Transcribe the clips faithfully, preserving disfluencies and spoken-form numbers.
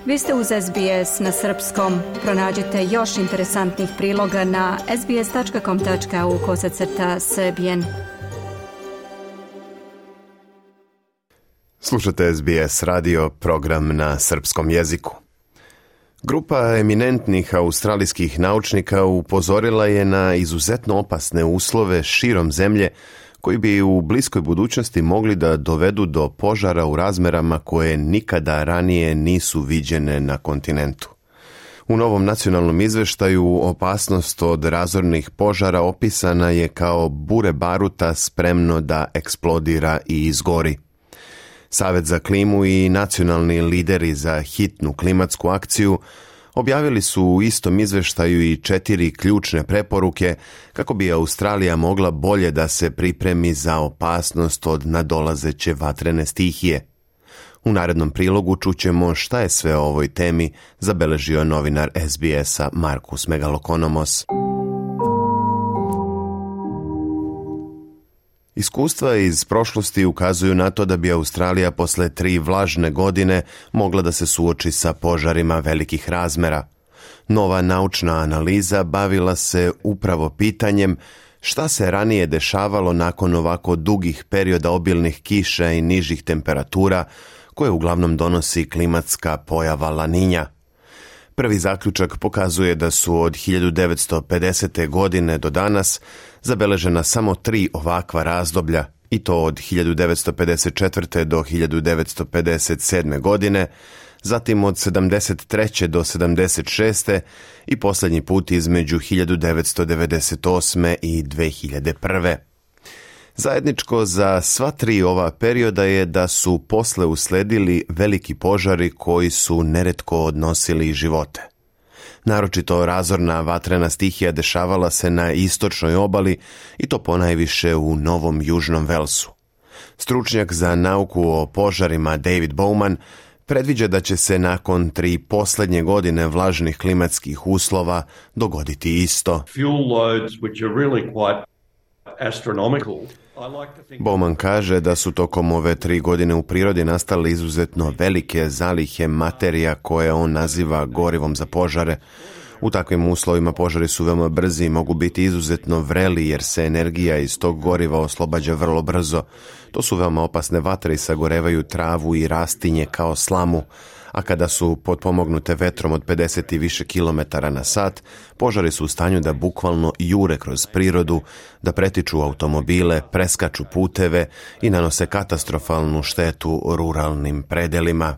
Vi ste uz S B S na srpskom. Pronađite još interesantnih priloga na sbs.com.au kosacrta srbijen. Slušate S B S radio, program na srpskom jeziku. Grupa eminentnih australijskih naučnika upozorila je na izuzetno opasne uslove širom zemlje koji bi u bliskoj budućnosti mogli da dovedu do požara u razmerama koje nikada ranije nisu viđene na kontinentu. U novom nacionalnom izveštaju opasnost od razornih požara opisana je kao bure baruta spremno da eksplodira i izgori. Savet za klimu i nacionalni lideri za hitnu klimatsku akciju objavili su u istom izveštaju i četiri ključne preporuke kako bi Australija mogla bolje da se pripremi za opasnost od nadolazeće vatrene stihije. U narednom prilogu čućemo šta je sve o ovoj temi zabeležio novinar S B S-a Markus Megalokonomos. Iskustva iz prošlosti ukazuju na to da bi Australija posle tri vlažne godine mogla da se suoči sa požarima velikih razmera. Nova naučna analiza bavila se upravo pitanjem šta se ranije dešavalo nakon ovako dugih perioda obilnih kiša i nižih temperatura koje uglavnom donosi klimatska pojava La Niña. Prvi zaključak pokazuje da su od hiljadu devetsto pedesete. godine do danas zabeležena samo tri ovakva razdoblja, i to od hiljadu devetsto pedeset četvrte. do hiljadu devetsto pedeset sedme. godine, zatim od sedamdeset treće. do sedamdeset šeste. i posljednji put između hiljadu devetsto devedeset osme. i dve hiljade prve. Zajedničko za sva tri ova perioda je da su posle usledili veliki požari koji su neretko odnosili živote. Naročito razorna vatrena stihija dešavala se na istočnoj obali i to ponajviše u Novom Južnom Velsu. Stručnjak za nauku o požarima David Bowman predviđa da će se nakon tri posljednje godine vlažnih klimatskih uslova dogoditi isto. Fuel loads which are really quite astronomical. Bowman kaže da su tokom ove tri godine u prirodi nastale izuzetno velike zalihe materija koje on naziva gorivom za požare. U takvim uslovima požari su veoma brzi i mogu biti izuzetno vreli jer se energija iz tog goriva oslobađa vrlo brzo. To su veoma opasne vatre i sagorevaju travu i rastinje kao slamu, a kada su potpomognute vetrom od pedeset i više kilometara na sat, požari su u stanju da bukvalno jure kroz prirodu, da pretiču automobile, preskaču puteve i nanose katastrofalnu štetu ruralnim predelima.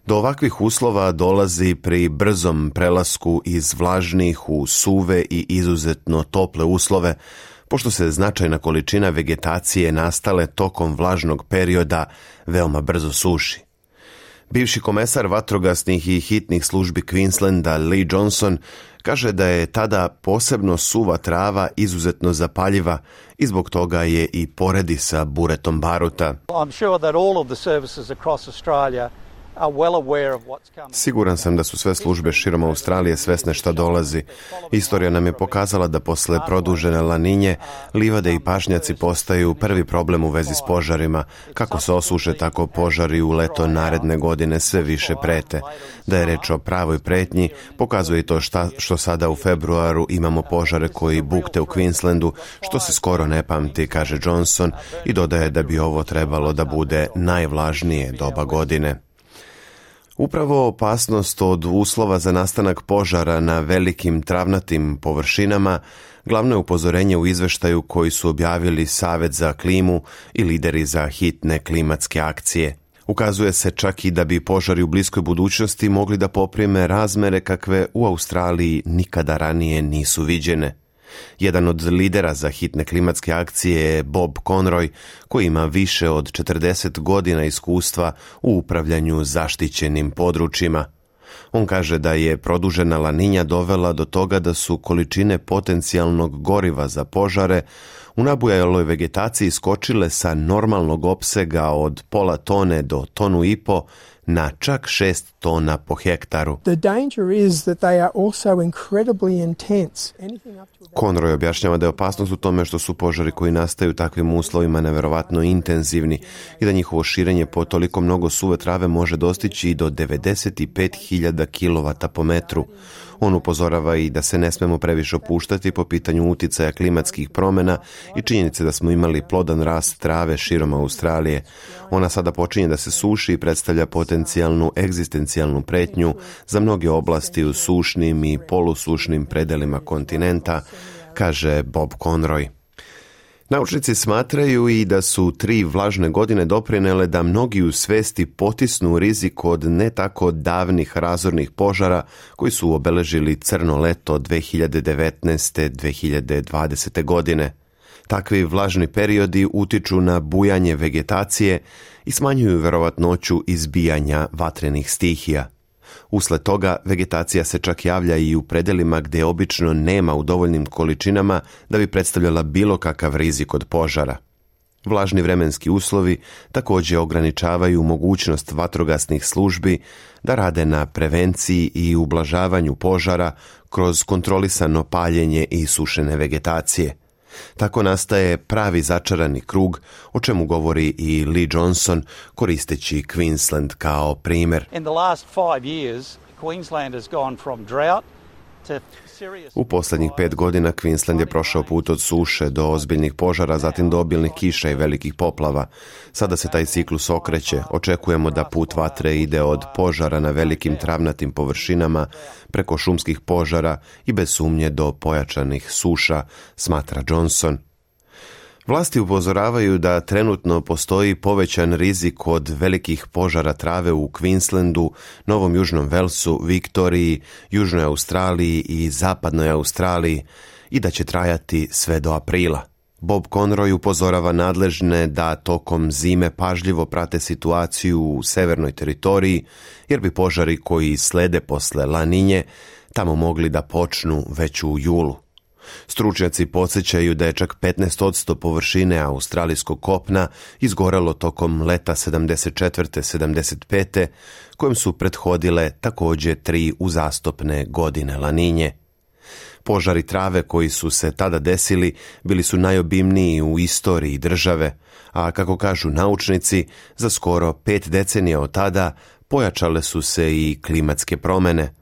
Do ovakvih uslova dolazi pri brzom prelasku iz vlažnih u suve i izuzetno tople uslove, pošto se značajna količina vegetacije nastale tokom vlažnog perioda veoma brzo suši. Bivši komesar vatrogasnih i hitnih službi Queenslanda Lee Johnson kaže da je tada posebno suva trava izuzetno zapaljiva i zbog toga je i poredi sa buretom baruta. Siguran sam da su sve službe širom Australije svesne šta dolazi. Istorija nam je pokazala da posle produžene La Niñe livade i pašnjaci postaju prvi problem u vezi s požarima. Kako se osuše, tako požari u leto naredne godine sve više prete. Da je reč o pravoj pretnji, pokazuje to šta, što sada u februaru imamo požare koji bukte u Queenslandu, što se skoro ne pamti, kaže Johnson, i dodaje da bi ovo trebalo da bude najvlažnije doba godine. Upravo opasnost od uslova za nastanak požara na velikim travnatim površinama glavno je upozorenje u izveštaju koji su objavili Savet za klimu i lideri za hitne klimatske akcije. Ukazuje se čak i da bi požari u bliskoj budućnosti mogli da poprime razmere kakve u Australiji nikada ranije nisu viđene. Jedan od lidera za hitne klimatske akcije je Bob Conroy, koji ima više od četrdeset godina iskustva u upravljanju zaštićenim područjima. On kaže da je produžena La Niña dovela do toga da su količine potencijalnog goriva za požare u nabujaloj vegetaciji skočile sa normalnog opsega od pola tone do tonu i po na čak šest tona po hektaru. The danger is that they are also incredibly intense. Conroy objašnjava da je opasnost u tome što su požari koji nastaju u takvim uslovima neverovatno intenzivni i da njihovo širenje po toliko mnogo suve trave može dostići i do devedeset pet hiljada kilovata po metru. On upozorava i da se ne smemo previše opuštati po pitanju uticaja klimatskih promjena i činjenice da smo imali plodan rast trave širom Australije. Ona sada počinje da se suši i predstavlja potencijalnu egzistencijalnu pretnju za mnoge oblasti u sušnim i polusušnim predelima kontinenta, kaže Bob Conroy. Naučnici smatraju i da su tri vlažne godine doprinele da mnogi u svesti potisnu rizik od ne tako davnih razornih požara koji su obeležili crno leto dve hiljade devetnaeste dve hiljade dvadesete godine. Takvi vlažni periodi utiču na bujanje vegetacije i smanjuju verovatnoću izbijanja vatrenih stihija. Usled toga, vegetacija se čak javlja i u predelima gdje obično nema u dovoljnim količinama da bi predstavljala bilo kakav rizik od požara. Vlažni vremenski uslovi također ograničavaju mogućnost vatrogasnih službi da rade na prevenciji i ublažavanju požara kroz kontrolisano paljenje i sušene vegetacije. Tako nastaje pravi začarani krug, o čemu govori i Lee Johnson koristeći Queensland kao primjer. In the last five years, Queensland has gone from drought to serious... U posljednjih pet godina Queensland je prošao put od suše do ozbiljnih požara, zatim do obilnih kiša i velikih poplava. Sada se taj ciklus okreće. Očekujemo da put vatre ide od požara na velikim travnatim površinama, preko šumskih požara i bez sumnje do pojačanih suša, smatra Johnson. Vlasti upozoravaju da trenutno postoji povećan rizik od velikih požara trave u Queenslandu, Novom Južnom Velsu, Viktoriji, Južnoj Australiji i Zapadnoj Australiji i da će trajati sve do aprila. Bob Conroy upozorava nadležne da tokom zime pažljivo prate situaciju u severnoj teritoriji, jer bi požari koji slede posle La Niñe tamo mogli da počnu već u julu. Stručnjaci podsjećaju da je čak petnaest posto površine australijskog kopna izgorelo tokom leta sedamdeset četvrte sedamdeset pete kojem su prethodile također tri uzastopne godine La Niñe. Požari trave koji su se tada desili bili su najobimniji u istoriji države, a kako kažu naučnici, za skoro pet decenija od tada pojačale su se i klimatske promjene.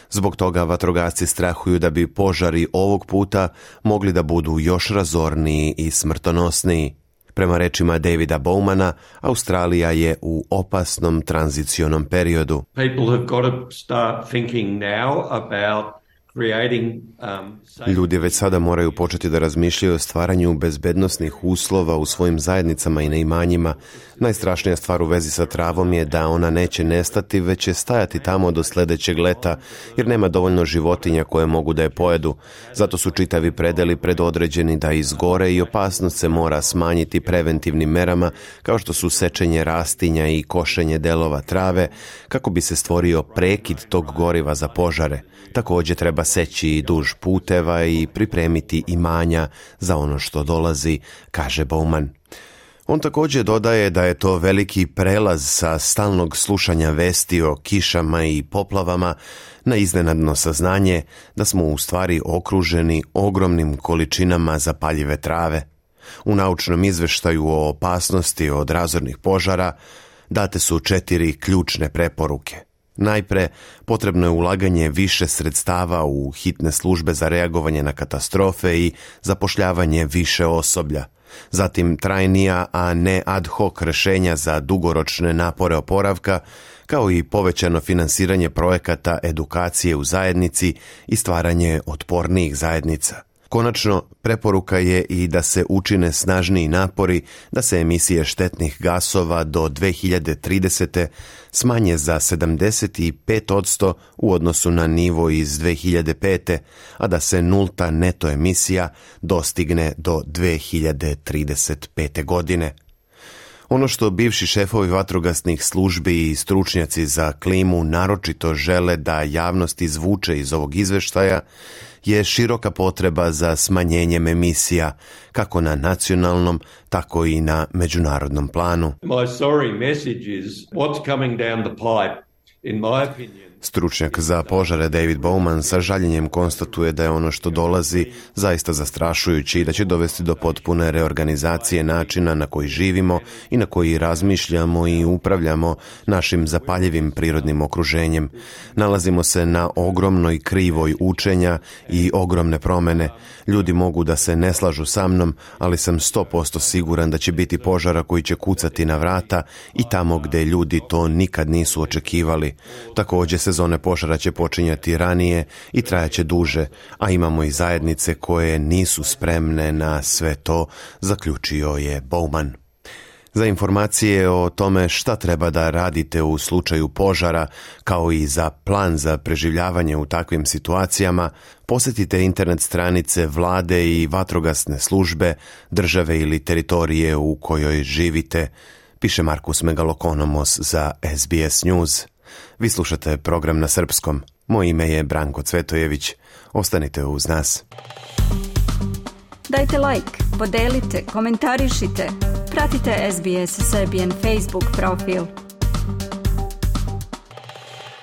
Zbog toga vatrogasci strahuju da bi požari ovog puta mogli da budu još razorniji i smrtonosniji. Prema rečima Davida Bowmana, Australija je u opasnom tranzicionom periodu. People have got to start thinking now about creating, um, Ljudi već sada moraju početi da razmišljaju o stvaranju bezbednosnih uslova u svojim zajednicama i na imanjima. Najstrašnija stvar u vezi sa travom je da ona neće nestati, već će stajati tamo do sljedećeg leta, jer nema dovoljno životinja koje mogu da je pojedu. Zato su čitavi predeli predodređeni da izgore i opasnost se mora smanjiti preventivnim merama, kao što su sečenje rastinja i košenje delova trave, kako bi se stvorio prekid tog goriva za požare. Također treba seći i duž puteva i pripremiti imanja za ono što dolazi, kaže Bowman. On također dodaje da je to veliki prelaz sa stalnog slušanja vesti o kišama i poplavama na iznenadno saznanje da smo u stvari okruženi ogromnim količinama zapaljive trave. U naučnom izveštaju o opasnosti od razornih požara date su četiri ključne preporuke. Najpre, potrebno je ulaganje više sredstava u hitne službe za reagovanje na katastrofe i zapošljavanje više osoblja. Zatim trajnija, a ne ad hoc rješenja za dugoročne napore oporavka, kao i povećano finansiranje projekata edukacije u zajednici i stvaranje otpornijih zajednica. Konačno, preporuka je i da se učine snažniji napori da se emisije štetnih gasova do dve hiljade tridesete smanje za sedamdeset pet posto u odnosu na nivo iz dve hiljade pete, a da se nulta neto emisija dostigne do dve hiljade trideset pete godine. Ono što bivši šefovi vatrogasnih službi i stručnjaci za klimu naročito žele da javnost izvuče iz ovog izveštaja je široka potreba za smanjenjem emisija, kako na nacionalnom, tako i na međunarodnom planu. My sorry message is what's coming down the pipe, in my opinion. Stručnjak za požare David Bowman sa žaljenjem konstatuje da je ono što dolazi zaista zastrašujući i da će dovesti do potpune reorganizacije načina na koji živimo i na koji razmišljamo i upravljamo našim zapaljivim prirodnim okruženjem. Nalazimo se na ogromnoj krivoj učenja i ogromne promene. Ljudi mogu da se ne slažu sa mnom, ali sam sto posto siguran da će biti požara koji će kucati na vrata i tamo gde ljudi to nikad nisu očekivali. Također sezone požara će počinjati ranije i trajaće duže, a imamo i zajednice koje nisu spremne na sve to, zaključio je Bowman. Za informacije o tome šta treba da radite u slučaju požara, kao i za plan za preživljavanje u takvim situacijama, posjetite internet stranice vlade i vatrogasne službe, države ili teritorije u kojoj živite, piše Markus Megalokonomos za S B S News. Vi slušate program na srpskom. Moje ime je Branko Cvetojević. Ostanite uz nas. Dajte like, podelite, komentarišite. Pratite S B S Serbian Facebook profil.